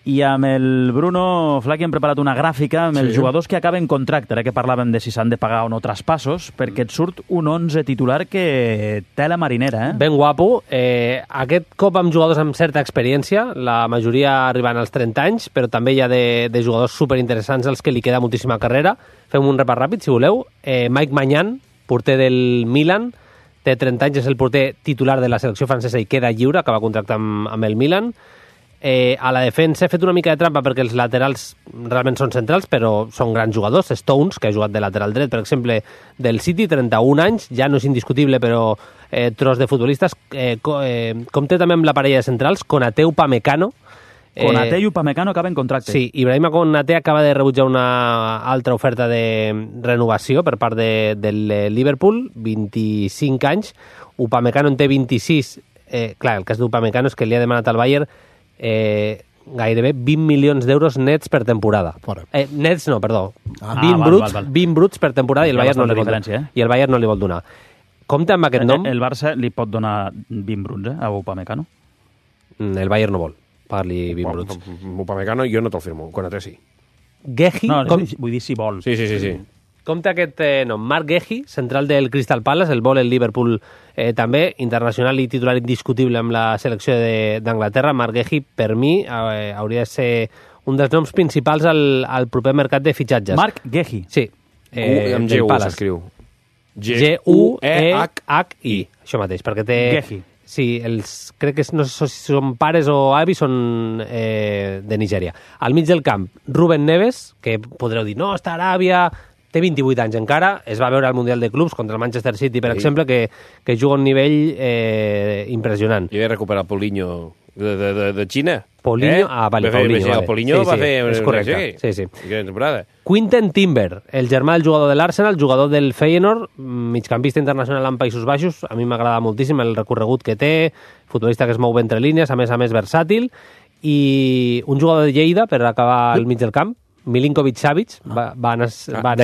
I amb el Bruno Flaqui hem preparat una gràfica amb els jugadors que acaben contracte, ara que parlàvem de si s'han de pagar o no traspassos, perquè et surt un 11 titular que té la marinera. Ben guapo. Aquest cop amb jugadors amb certa experiència, la majoria arribant als 30 anys, però també hi ha de jugadors superinteressants als que li queda moltíssima carrera. Fem un repàs ràpid, si voleu. Mike Maignan, porter del Milan, té 30 anys, és el porter titular de la selecció francesa i queda lliure, acaba contracte amb el Milan. A la defensa he fet una mica de trampa perquè els laterals realment són centrals, però són grans jugadors. Stones, que ha jugat de lateral dret, per exemple, del City, 31 anys, ja no és indiscutible, però tros de futbolistes. Compte també amb la parella de centrals, Konaté Upamecano. Konaté i Upamecano acaben contracte. Sí, Ibrahima Konaté acaba de rebutjar una altra oferta de renovació per part del Liverpool, 25 anys. Upamecano en té 26. Clar, el cas d'Upamecano és que li ha demanat al Bayern gairebé 20 milions d'euros nets per temporada. Nets no, perdó. 20 bruts per temporada i el Bayern no li vol donar. I el Bayern no li vol donar. Compte amb aquest nom. El Barça li pot donar 20 bruts a Upamecano? El Bayern no vol pagar-li 20 bruts. Upamecano jo no te'l firmo, Konaté sí. Gehi... No, vull dir si vol. Sí. Compte aquest nom, Marc Gehi, central del Crystal Palace, el vol el Liverpool també, internacional i titular indiscutible amb la selecció d'Anglaterra. Marc Gehi, per mi, hauria de ser un dels noms principals al proper mercat de fitxatges. Marc Gehi? Sí. Amb G-U s'escriu. G-U-E-H-I. Això mateix, perquè té... Gehi. Sí, crec que no sé si són pares o avis, són de Nigèria. Al mig del camp, Rúben Neves, que podreu dir, no, està a Aràbia... Té 28 anys encara, es va veure al Mundial de Clubs contra el Manchester City, per exemple, que juga a un nivell impressionant. I he recuperat Paulinho de Xina. Paulinho? Vale, Paulinho. Paulinho va fer... És correcte, sí. Gran temporada. Quinten Timber, el germà del jugador de l'Arsenal, jugador del Feyenoord, migcampista internacional en Països Baixos, a mi m'agrada moltíssim el recorregut que té, futbolista que es mou entre línies, a més versàtil, i un jugador de Lleida, per acabar al mig del camp, Milinkovic-Savic, va néixer a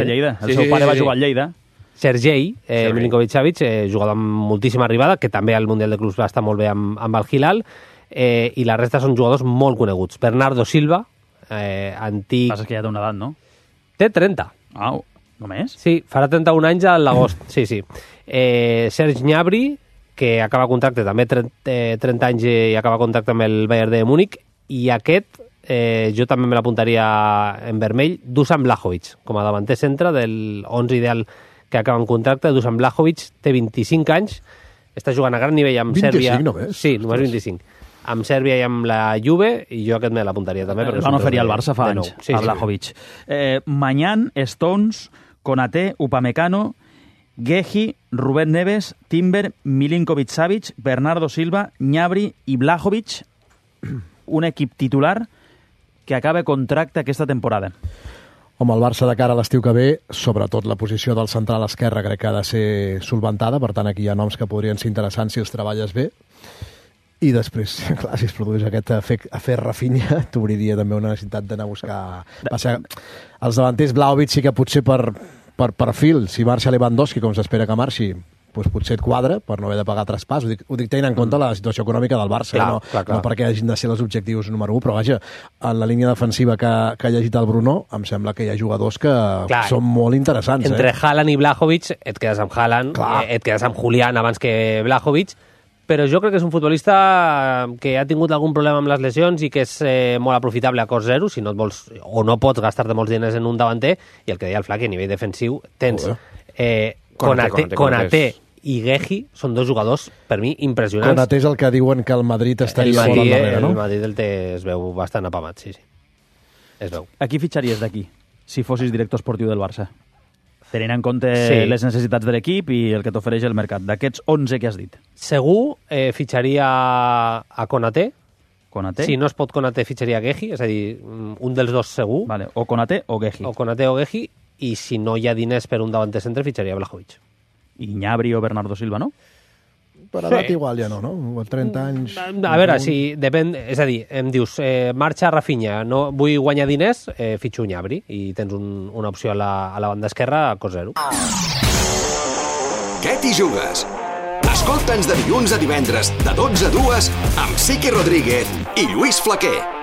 Lleida. El seu pare va jugar a Lleida. Sergei Milinkovic-Savic, jugador amb moltíssima arribada, que també al Mundial de Clubs va estar molt bé amb el Hilal, i la resta són jugadors molt coneguts. Bernardo Silva, antic... Passa que ja té una edat, no? Té 30. Només? Sí, farà 31 anys a l'agost. Sí. Serge Gnabry, que acaba contracte, també 30 anys i acaba contracte amb el Bayern de Múnich, i aquest... jo també me l'apuntaria en vermell, Dusan Vlahovic, com a davanter centre del 11 ideal que acaba en contracte. Dusan Vlahovic té 25 anys, està jugant a gran nivell amb 25 Sèrbia. Només? Sí, només 25. Amb Sèrbia i amb la Juve, i jo aquest me l'apuntaria també. El van oferir al Barça fa anys, a Vlahovic. Maignan, Stones, Konaté, Upamecano, Gehi, Rubén Neves, Timber, Milinkovic-Savic, Bernardo Silva, Gnabry i Vlahovic, un equip titular que acaba contracte aquesta temporada. Home, el Barça de cara a l'estiu que ve, sobretot la posició del central esquerre crec que ha de ser solventada, per tant aquí hi ha noms que podrien ser interessants si els treballes bé. I després, clar, si es produeix aquest afer Rafinha, t'obriria també una necessitat d'anar a buscar... Els davanters Vlahovic sí que potser per perfil, si marxa Lewandowski, com s'espera que marxi, doncs potser et quadra per no haver de pagar traspàs. Ho dic tenint en compte la situació econòmica del Barça, clar. No perquè hagin de ser els objectius número 1, però vaja, en la línia defensiva que ha llegit el Bruno, em sembla que hi ha jugadors que són molt interessants. Entre Haaland i Vlahovic, et quedes amb Haaland, et quedes amb Julián abans que Vlahovic, però jo crec que és un futbolista que ha tingut algun problema amb les lesions i que és molt aprofitable a cost zero, si no et vols o no pots gastar-te molts diners en un davanter, i el que deia el Flaqui, a nivell defensiu, tens Konaté i Gehi, són dos jugadors, per mi, impressionants. Konaté és el que diuen que el Madrid estaria molt al darrere, no? El Madrid es veu bastant apamat, sí. Es veu. A qui fitxaries d'aquí, si fossis director esportiu del Barça? Tenint en compte les necessitats de l'equip i el que t'ofereix el mercat. D'aquests 11 que has dit. Segur fitxaria a Konaté. Konaté? Si no es pot Konaté, fitxaria a Gehi, és a dir, un dels dos segur. Vale. O Konaté o Gehi. O Konaté o Gehi, i si no hi ha diners per un davanter centre, fitxaria a Vlahovic. I Gnabry o Bernardo Silva, no? Per edat igual ja no? 30 anys... A veure, si depèn... És a dir, em dius, marxa Rafinha, no vull guanyar diners, fitxo Gnabry, i tens una opció a la banda esquerra a cost zero. Què t'hi jugues? Escolta'ns de dilluns a divendres, de 12 a 2, amb Sique Rodríguez i Lluís Flaquer.